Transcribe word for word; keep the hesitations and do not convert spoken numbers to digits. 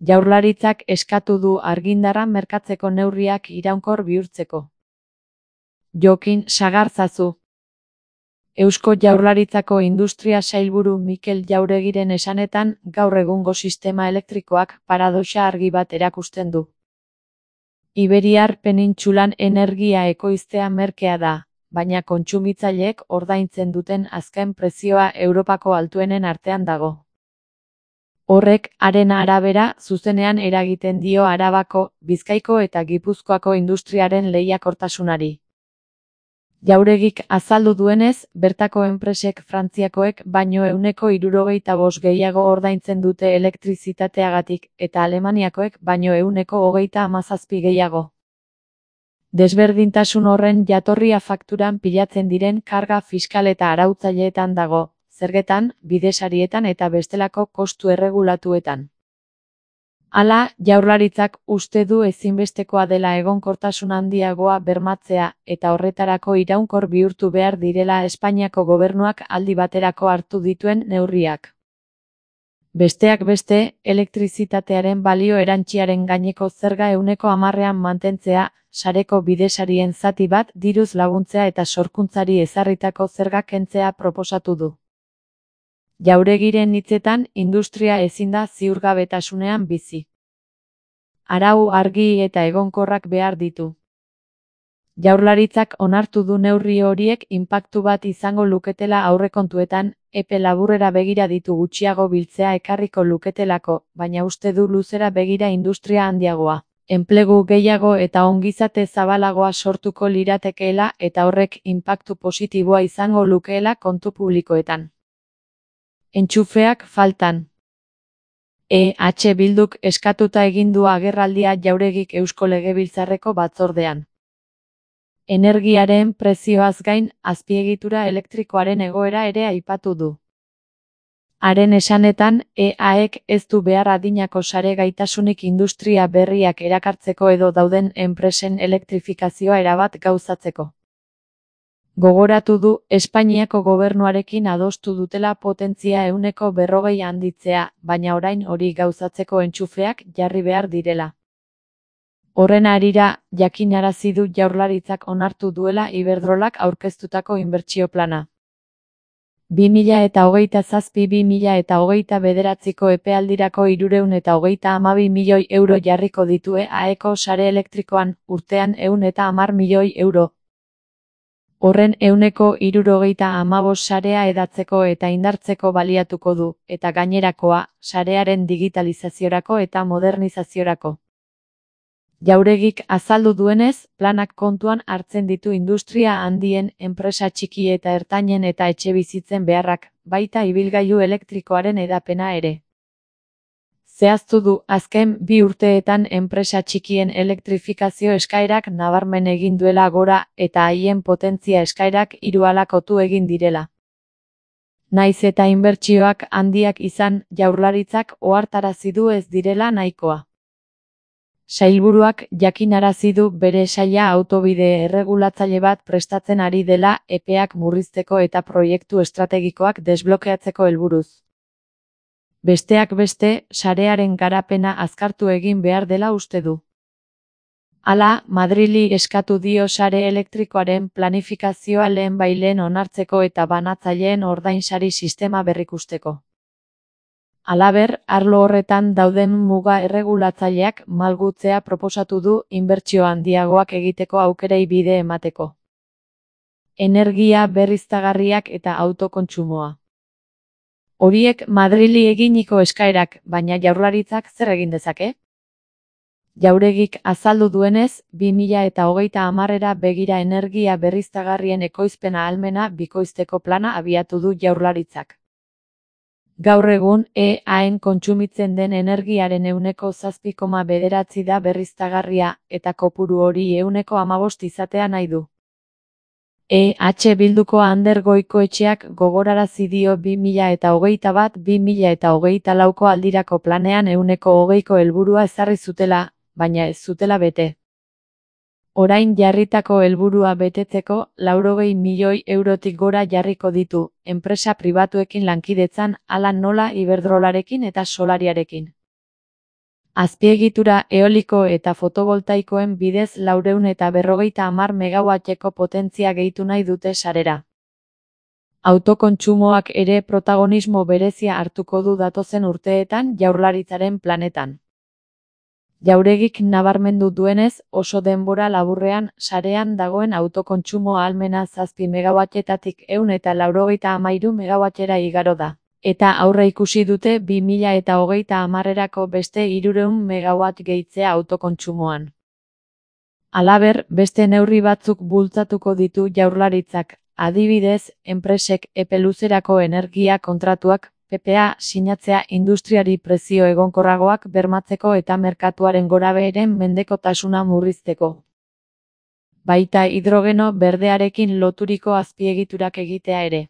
Jaurlaritzak eskatu du argindarra merkatzeko neurriak iraunkor bihurtzeko. Jokin Sagarzazu. Eusko Jaurlaritzako Industria Sailburu Mikel Jauregiren esanetan, gaur egungo sistema elektrikoak paradoxa argi bat erakusten du. Iberiar penintsulan energia ekoiztea merkea da, baina kontsumitzaileek ordaintzen duten azken prezioa Europako altuenen artean dago. Horrek, haren arabera, zuzenean eragiten dio Arabako, Bizkaiko eta Gipuzkoako industriaren lehiakortasunari. Jauregik azaldu duenez, bertako enpresek Frantziakoek baino ehuneko hirurogeita bost gehiago ordaintzen dute elektrizitateagatik, eta Alemaniakoek baino ehuneko hogeita hamazazpi gehiago. Desberdintasun horren jatorria fakturan pilatzen diren karga fiskal eta arautzaileetan dago, zergetan, bidesarietan eta bestelako kostu erregulatuetan. Hala, Jaurlaritzak uste du ezinbestekoa dela egonkortasun handiagoa bermatzea eta horretarako iraunkor bihurtu behar direla Espainiako gobernuak aldi baterako hartu dituen neurriak. Besteak beste, elektrizitatearen balio erantsiaren gaineko zerga ehuneko hamarrean mantentzea, sareko bidesarien zati bat diruz laguntzea eta sorkuntzari ezarritako zerga kentzea proposatu du. Jauregiren hitzetan, industria ezin da ziurgabetasunean bizi. Arau argi eta egonkorrak behar ditu. Jaurlaritzak onartu du neurri horiek inpaktu bat izango luketela aurrekontuetan, epe laburrera begira ditu gutxiago biltzea ekarriko luketelako, baina uste du luzera begira industria handiagoa, enplegu gehiago eta ongizate zabalagoa sortuko liratekeela eta horrek inpaktu positiboa izango lukeela kontu publikoetan. Entxufeak faltan. E H Bilduk eskatuta egin du agerraldia Jauregik Eusko Legebiltzarreko batzordean. Energiaren prezioaz gain, azpiegitura elektrikoaren egoera ere aipatu du. Haren esanetan, E Aek ez du behar adinako sare gaitasunik industria berriak erakartzeko edo dauden enpresen elektrifikazioa erabat gauzatzeko. Gogoratu du, Espainiako gobernuarekin adostu dutela potentzia ehuneko berrogei handitzea, baina orain hori gauzatzeko entxufeak jarri behar direla. Horren harira, jakinarazi du Jaurlaritzak onartu duela Iberdrolak aurkeztutako inbertsio plana. bi mila eta hogeita zazpi bi mila eta hogeita bederatziko epealdirako hirurehun eta hogeita hamabi milioi euro jarriko ditue Aeko sare elektrikoan, urtean ehun eta hamar milioi euro. Horren ehuneko hirurogeita hamabost sarea hedatzeko eta indartzeko baliatuko du, eta gainerakoa, sarearen digitalizaziorako eta modernizaziorako. Jauregik azaldu duenez, planak kontuan hartzen ditu industria handien, enpresa txiki eta ertainen eta etxebizitzen beharrak, baita ibilgailu elektrikoaren hedapena ere. Zehaztu du, azken bi urteetan enpresa txikien elektrifikazio eskaerak nabarmen egin duela gora eta haien potentzia eskaerak hiruhalakotu egin direla. Naiz eta inbertsioak handiak izan, Jaurlaritzak ohartarazi du ez direla nahikoa. Sailburuak jakinarazi du bere saila autobide erregulatzaile bat prestatzen ari dela epeak murrizteko eta proiektu estrategikoak desblokeatzeko helburuz. Besteak beste, sarearen garapena azkartu egin behar dela uste du. Hala, Madrili eskatu dio sare elektrikoaren planifikazioa lehenbailehen onartzeko eta banatzaileen ordainsari sistema berrikusteko. Halaber, arlo horretan dauden muga erregulatzaileak malgutzea proposatu du inbertsio handiagoak egiteko aukerei bide emateko. Energia berriztagarriak eta autokontsumoa. Horiek Madrili eginiko eskaerak, baina Jaurlaritzak zer egin dezake? Jauregik azaldu duenez, bi mila eta hogeita hamarera begira energia berriztagarrien ekoizpena ahalmena bikoizteko plana abiatu du Jaurlaritzak. Gaur egun, E Aen kontsumitzen den energiaren ehuneko zazpi koma bederatzi da berriztagarria, eta kopuru hori ehuneko hamabost izatea nahi du. E H Bilduko Ander Goikoetxeak gogorarazi dio bi mila eta hogeita bat bi mila eta hogeita lauko aldirako planean ehuneko hogeiko helburua ezarri zutela, baina ez zutela bete. Orain jarritako helburua betetzeko laurogei milioi eurotik gora jarriko ditu, enpresa pribatuekin lankidetzan hala nola Iberdrolarekin eta Solariarekin. Azpiegitura eoliko eta fotovoltaikoen bidez laurehun eta berrogeita hamar megawatteko potentzia gehitu nahi dute sarera. Autokontsumoak ere protagonismo berezia hartuko du datozen urteetan Jaurlaritzaren planetan. Jauregik nabarmendu duenez, oso denbora laburrean sarean dagoen autokontsumo ahalmena zazpi megawattetatik ehun eta laurogeita hamairu megawattera igaro da, eta aurreikusi dute bi mila eta hogeita hamarrerako beste hirurehun megawatt gehitzea autokontsumoan. Halaber, beste neurri batzuk bultzatuko ditu Jaurlaritzak, adibidez, enpresek epe luzerako energia kontratuak, P P A sinatzea industriari prezio egonkorragoak bermatzeko eta merkatuaren gorabeheren mendekotasuna murrizteko. Baita hidrogeno berdearekin loturiko azpiegiturak egitea ere.